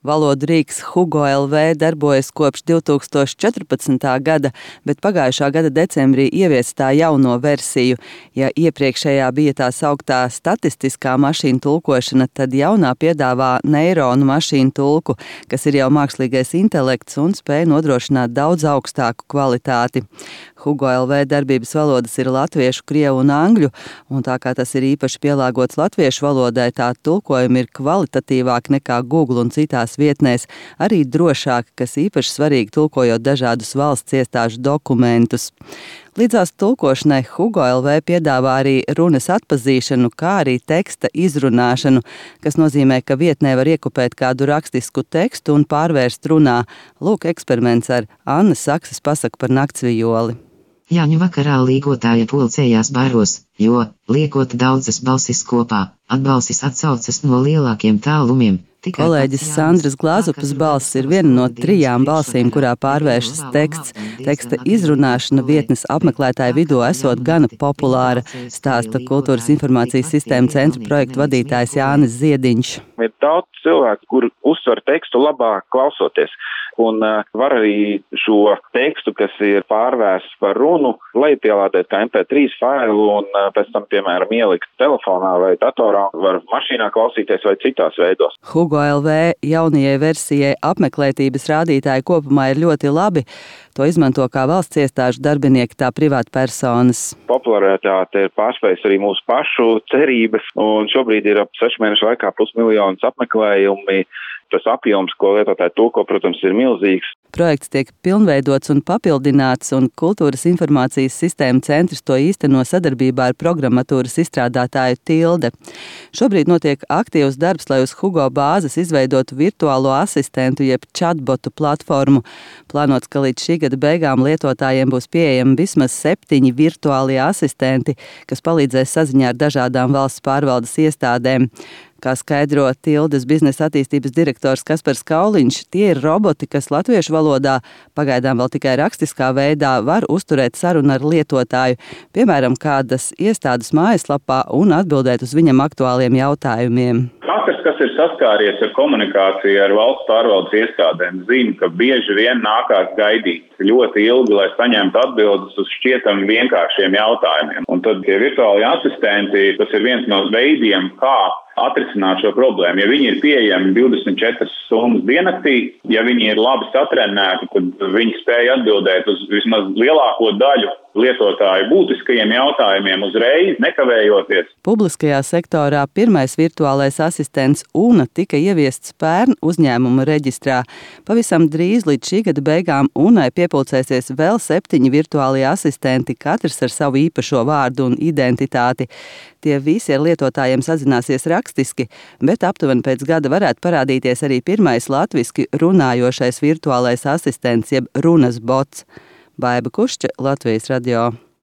Valodu rīks Hugo LV darbojas kopš 2014. gada, bet pagājušā gada decembrī ieviesa tā jauno versiju. Ja iepriekšējā bija tā sauktā statistiskā mašīnu tulkošana, tad jaunā piedāvā neironu mašīnu tulku, kas ir jau mākslīgais intelekts un spēj nodrošināt daudz augstāku kvalitāti. Hugo LV darbības valodas ir latviešu, krievu un angļu, un tā kā tas ir īpaši pielāgots latviešu valodai, tā tulkojumi ir kvalitatīvāki nekā Google un citās vietnēs, arī drošāki, kas īpaši svarīgi tulkojot dažādus valsts iestāžu dokumentus. Līdzās tulkošanai Hugo LV piedāvā arī runas atpazīšanu, kā arī teksta izrunāšanu, kas nozīmē, ka vietnē var iekopēt kādu rakstisku tekstu un pārvērst runā. Lūk, eksperiments ar Annas Saksas pasaku par naktsvijoli. Jāņu vakarā līgotāja pulcējās baros, jo, liekot daudzas balsis kopā, atbalsis atsaucas no lielākiem tālumiem. Kolēģis Sandras Glāzupas balss ir viena no 3 balsīm, kurā pārvēršas teksts. Teksta izrunāšana vietnes apmeklētāju vidū esot gana populāra, stāsta Kultūras informācijas sistēmu centra projektu vadītājs Jānis Ziediņš. Ir daudz cilvēku, kur uztver tekstu labāk klausoties. Un var arī šo tekstu, kas ir pārvērsts par runu, lejupielādēt kā MP3 failu un pēc tam, piemēram, ielikt telefonā vai datorā, var mašīnā klausīties vai citās veidos. Hugo LV jaunajai versijai apmeklētības rādītāji kopumā ir ļoti labi. To izmanto kā valsts iestāžu darbinieki, tā privātpersonas. Popularitāte ir pārspējusi arī mūsu pašu cerības, un šobrīd ir ap 6 mēnešu laikā +1 apmeklējumi. Tas apjoms, ko lietotāji tulko, protams, ir milzīgs. Projekts tiek pilnveidots un papildināts, un Kultūras informācijas sistēmu centrs to īsteno sadarbībā ar programmatūras izstrādātāju Tilde. Šobrīd notiek aktīvs darbs, lai uz Hugo bāzes izveidotu virtuālo asistentu jeb chatbotu platformu. Plānots, ka līdz šī gada beigām lietotājiem būs pieejami vismaz 7 virtuālie asistenti, kas palīdzēs saziņā ar dažādām valsts pārvaldes iestādēm. Kā skaidro Tildes biznesa attīstības direktors Kaspars Kauliņš, tie ir roboti, kas latviešu valodā, pagaidām vēl tikai rakstiskā veidā, var uzturēt sarunu ar lietotāju, piemēram, kādas iestādes mājaslapā un atbildēt uz viņam aktuāliem jautājumiem. Katrs, kas ir saskāries ar komunikāciju ar valsts pārvaldes iestādēm, zina, ka bieži vien nākās gaidīt ļoti ilgi, lai saņemtu atbildes uz šķietami vienkāršiem jautājumiem. Un tad tie virtuāli asistenti, tas ir viens no veidiem, kā atrisināt šo problēmu. Ja viņi ir pieejami 24 stundas diennaktī, ja viņi ir labi satrenēti, tad viņi spēj atbildēt uz vismaz lielāko daļu lietotāju būtiskajiem jautājumiem uzreiz, nekavējoties. Publiskajā sektorā pirmais virtuālais asistents UNA tika ieviests pērn uzņēmuma reģistrā. Pavisam drīz līdz šī gada beigām UNAI piepulcēsies vēl 7 virtuālie asistenti, katrs ar savu īpašo vārdu un identitāti. Tie visi ar lietotājiem sazināsies rakstiski, bet aptuveni pēc gada varētu parādīties arī pirmais latviski runājošais virtuālais asistents jeb runas bots. Baiba Kušča, Latvijas radio.